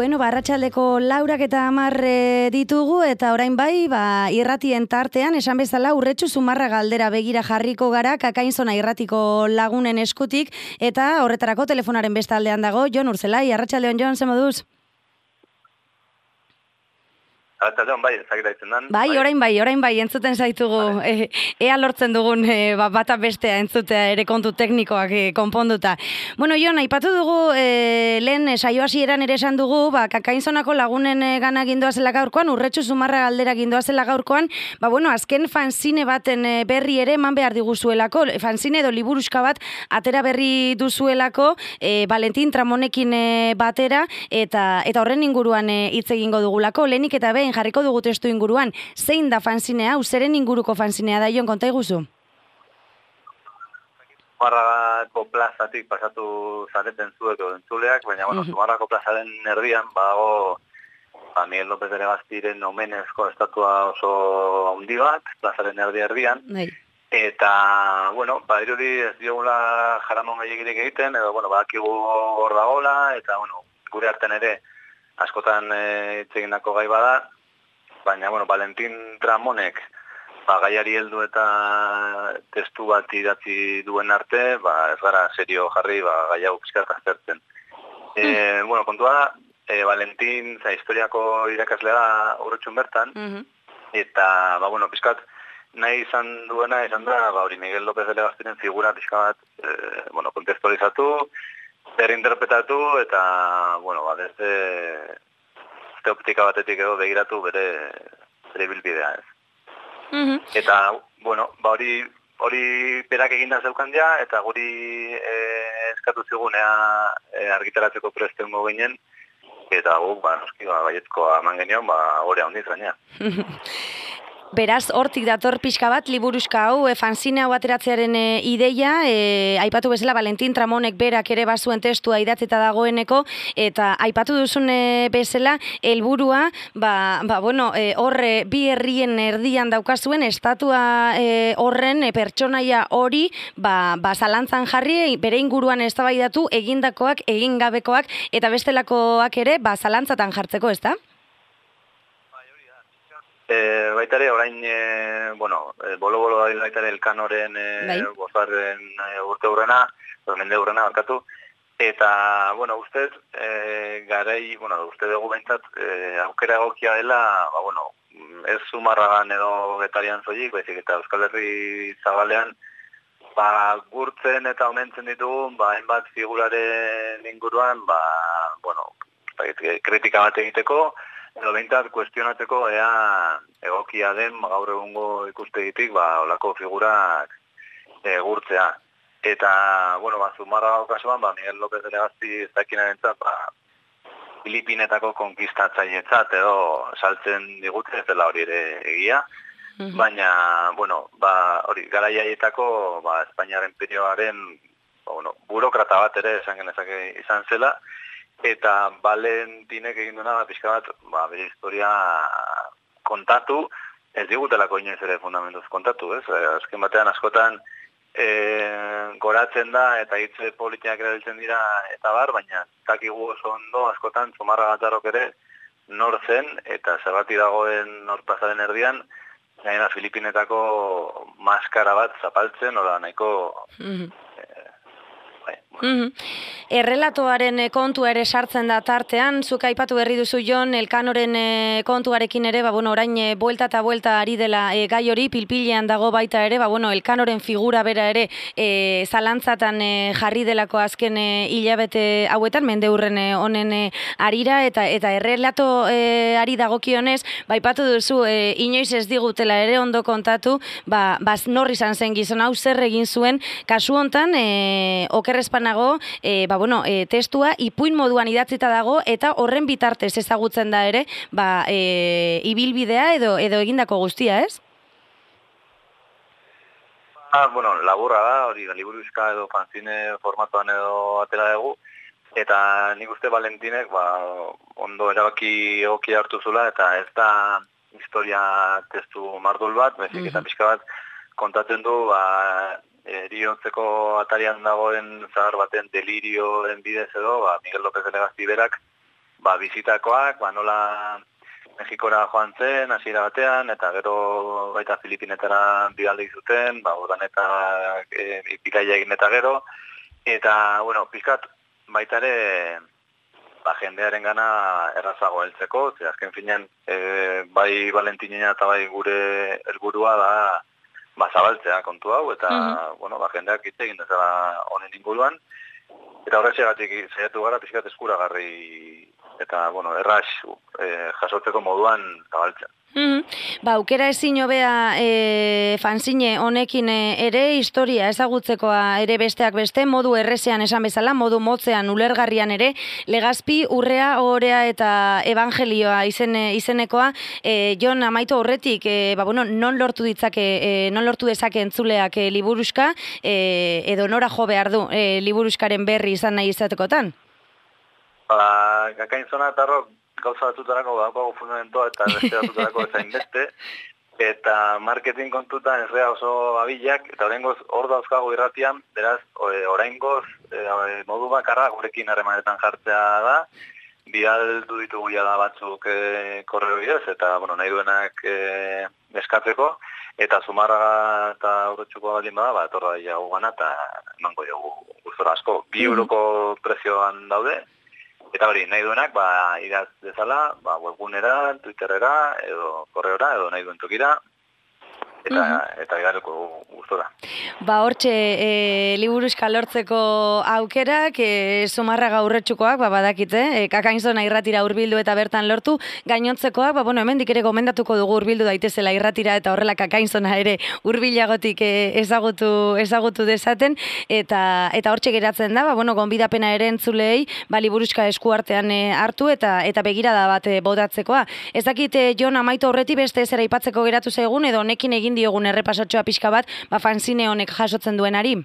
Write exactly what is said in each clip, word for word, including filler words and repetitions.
Bueno, ba, arratsaldeko laurak eta hamar e, ditugu, eta orain bai, ba, irratien tartean, esan bezala, Urretxu Zumarra galdera begira jarriko gara, Kakainzona irratiko lagunen eskutik, eta horretarako telefonaren bestaldean dago, Jon Urzelai. Arratsaldeon, Jon, ze moduz? Arratsaldeon, bai, ezagita ditzen dan. Bai, orain bai, orain bai, entzuten zaitugu, vale. e, ea lortzen dugun e, ba, bata bestea entzutea ere kontu teknikoak e, konponduta. Bueno, Jon, aipatu dugu, e, lehen saio hasieran ere esan dugu, ba, Kakainzonako lagunen e, gana gindoazela gaurkoan, Urretxu Zumarra galdera gindoazela gaurkoan, ba, bueno, azken fanzine baten e, berri ere eman behar diguzuelako, fanzine edo liburuska bat atera berri duzuelako, e, Valentin Tramonekin e, batera, eta eta horren inguruan e, hitz egingo dugulako, lehenik eta behin jarriko dugu testu inguruan, zein da fanzinea, hau zeren inguruko fanzinea da, Jon, konta iguzu? Zumarrako plazatik pasatu zareten zuek edo entzuleak, baina, bueno, Zumarrako plazaren erdian, bago, ba, Miguel López de Legastiren omenezko estatua oso handi bat, plazaren erdi erdian, Nei. Eta, bueno, ba, irudi ez diogula jaramon gehiagirik egiten, edo, bueno, badakigu hor dagola, eta, bueno, gure artean ere, askotan hitz e, egindako gai bada, baina, bueno, Valentin Tramonek ba, gaiari heldu eta testu bat idatzi duen arte, ba, ez gara serio jarri, ba, gai hau pizkat aztertzen. E, bueno, kontua da, e, Valentin za historiako irakaslea da Urretxun bertan, uh-huh. eta, ba, bueno, pizkat nahi izan duena, izan da, ba, hori Miguel López de Legastiren figura pizka bat, e, bueno, kontestualizatu, berinterpretatu, eta, bueno, ba, desde optika batetik edo begiratu bere bere bilbidea, ez. Uh-huh. Eta, bueno, ba hori hori berak eginda zeukan ja, eta guri e, eskatu zigunea e, argitaratzeko prestengo ginen, eta gu, ba, noski, ba, baietkoa eman genion, ba, hori handiz gaina. Beraz, hortik dator pixka bat, liburuska hau, e, fanzine hau ateratzearen e, ideia, e, aipatu bezala Valentin Tramonek berak ere bazuen testua idatzita dagoeneko, eta aipatu duzun e, bezala, helburua, ba, ba, bueno, e, horre bi herrien erdian daukazuen, estatua e, horren e, pertsonaia hori, ba, ba, zalantzan jarri, bere inguruan eztabaidatu, egindakoak, egingabekoak, eta bestelakoak ere, ba, zalantzatan jartzeko, ez da? E, baita ere, orain, e, bueno, e, bolo-bolo da baita ere elkanoren e, bosgarren e, urte hurrena, mende hurrena barkatu, eta, bueno, ustez, e, garai, bueno, uste dugu behintzat, e, aukera egokia dela, ba, bueno, ez Zumarragan edo Getarian zoik, baizik eta Euskal Herri zabalean, ba, gurtzen eta omentzen ditugu, ba, hainbat figuraren inguruan, ba, bueno, kritika bat egiteko, edo behintzat kuestionatzeko ea egokia den gaur egungo ikustegitik ba olako figurak e, gurtzea. Eta, bueno, ba, Zumarra kasuan, ba, Miguel López de Legazpi ez dakinarentzat, ba, Filipinetako konkistatzailetzat edo saltzen digute, ez dela hori ere egia. Uh-huh. Baina, bueno, ba, hori, garaiaietako, ba, Espainiar imperioaren, ba, bueno, burokrata bat ere esan genezake izan zela, eta Valentinek egin duena pixka bat, ba, bere historia kontatu, ez digutelako inoiz ere fundamentuz kontatu, ez? Azken batean askotan e, goratzen da eta hitze politiak erabiltzen dira eta bar, baina dakigu oso ondo askotan Zumarra Gatzarrok ere nor zen eta zerbati dagoen nor plazaren erdian, gainera Filipinetako maskara bat zapaltzen, ola nahiko... Mm-hmm. Mm-hmm. Errelatoaren kontua ere sartzen da tartean, zuk aipatu berri duzu Jon, Elkanoren kontuarekin ere, ba, bueno, orain buelta eta buelta ari dela e, gai hori, pilpilean dago baita ere, ba, bueno, Elkanoren figura bera ere e, zalantzatan e, jarri delako azken e, hilabete hauetan, mende hurren e, honen e, arira, eta eta errelato e, ari dagokionez, ba, aipatu duzu, e, inoiz ez digutela ere ondo kontatu, ba, ba nor izan zen gizon hau zer egin zuen, kasu hontan, e, okerrezpanago, e, ba, bueno, e, testua ipuin moduan idatzita dago eta horren bitartez ezagutzen da ere, ba, e, ibilbidea edo edo egindako guztia, ez? Ah, bueno, laburra da, hori liburuska edo fanzine formatoan edo atera dugu, eta nik uste Valentinek, ba, ondo erabaki egokia hartu zula, eta ez da historia testu mardul bat, bezik mm-hmm. eta pixka bat kontatzen du, ba, eriotzeko atarian dagoen zahar baten delirioen bidez edo, ba, Miguel López de Legazpi berak, ba, bizitakoak, ba, nola Mexikora joan zen, hasiera batean, eta gero baita Filipinetara bidaldi zuten, ba, ordan eta e, bidaia egin eta gero, eta, bueno, pizkat baita ere, ba, jendearen gana errazago heltzeko, ze azken finean, e, bai Valentinina eta bai gure helburua da, ba, zabaltzea kontu hau, eta, mm-hmm. bueno, ba, jendeak hitz egin dezala honen inguruan, eta horretxegatik zaiatu gara pizkat eskuragarri eta, bueno, erraz eh, jasotzeko moduan zabaltzen. Mm-hmm. Ba, aukera ezin hobea e, fanzine honekin ere historia ezagutzekoa ere besteak beste, modu errezean esan bezala, modu motzean ulergarrian ere, Legazpi, Urrea, Ohorea eta Evangelioa izen, izenekoa, e, Jon amaitu horretik, e, ba, bueno, non lortu ditzake, e, non lortu dezake entzuleak e, liburuska, e, edo nora jo behar du e, liburuskaren berri izan nahi izatekotan? Ba, Gakain Zona eta Rock gauza batutarako badago fundamentoa eta beste batutarako ezain beste, eta marketing kontutan ez rea oso abilak, eta oraingoz hor dauzkago irratian, beraz, oraingoz e, modu bakarra gurekin harremanetan jartzea da, bidaldu ditugu da batzuk e, korreo bidez, eta bueno, nahi duenak e, eskatzeko, eta Zumarraga eta Urretxuko baldin bada, ba, etorra jagu gana, eta emango dugu gustora asko. Bi euroko prezioan daude, eta hori, nahi duenak, ba, idaz dezala, ba, webgunera, Twitterera, edo korreora, edo nahi duen tokira, eta, uh-huh. eta igareko gustora. Ba, hortxe, e, liburuska lortzeko aukerak, e, Zumarraga Urretxukoak, ba, badakite, e, Kakain Zona irratira hurbildu eta bertan lortu, gainontzekoak, ba, bueno, hemendik ere gomendatuko dugu hurbildu daitezela irratira eta horrela Kakain Zona ere hurbilagotik e, ezagutu, ezagutu dezaten, eta eta hortxe geratzen da, ba, bueno, gonbidapena ere entzulei, ba, liburuska eskuartean e, hartu eta eta begirada bat e, botatzekoa. Ez dakit, e, Jon amaitu horreti beste zera aipatzeko geratu zaigun, edo honekin egin diogun errepasatxoa pixka bat, ba, fanzine honek jasotzen duenari?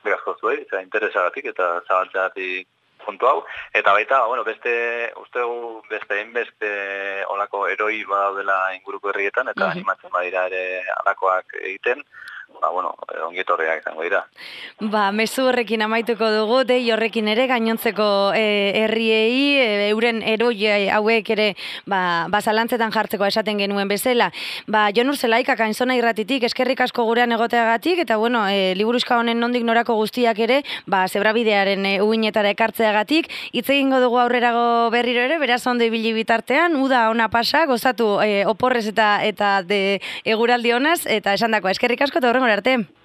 Berazko zuei, eta interesagatik eta zabaltzeagatik puntu hau. Eta baita, bueno, beste, ustegu beste enbeste olako eroi badaudela inguruko herrietan, eta uh-huh. animatzen badira ere alakoak egiten, ba, bueno, ongietorriak izango dira. Ba, mezu horrekin amaituko dugu, dei horrekin ere, gainontzeko e, herriei, e, euren eroi hauek ere, ba, ba zalantzetan jartzeko esaten genuen bezala. Ba, Jon Urzelaik, Kakain Zona irratitik, eskerrik asko gurean egoteagatik, eta, bueno, e, liburuska honen nondik norako guztiak ere, ba, zebrabidearen e, uinetara ekartzeagatik, hitz egingo dugu aurrerago berriro ere, beraz ondo ibili bitartean, uda ona pasa, gozatu e, oporrez eta eta de eguraldi honaz, eta esandakoa, eskerrik asko eta horrengora arte.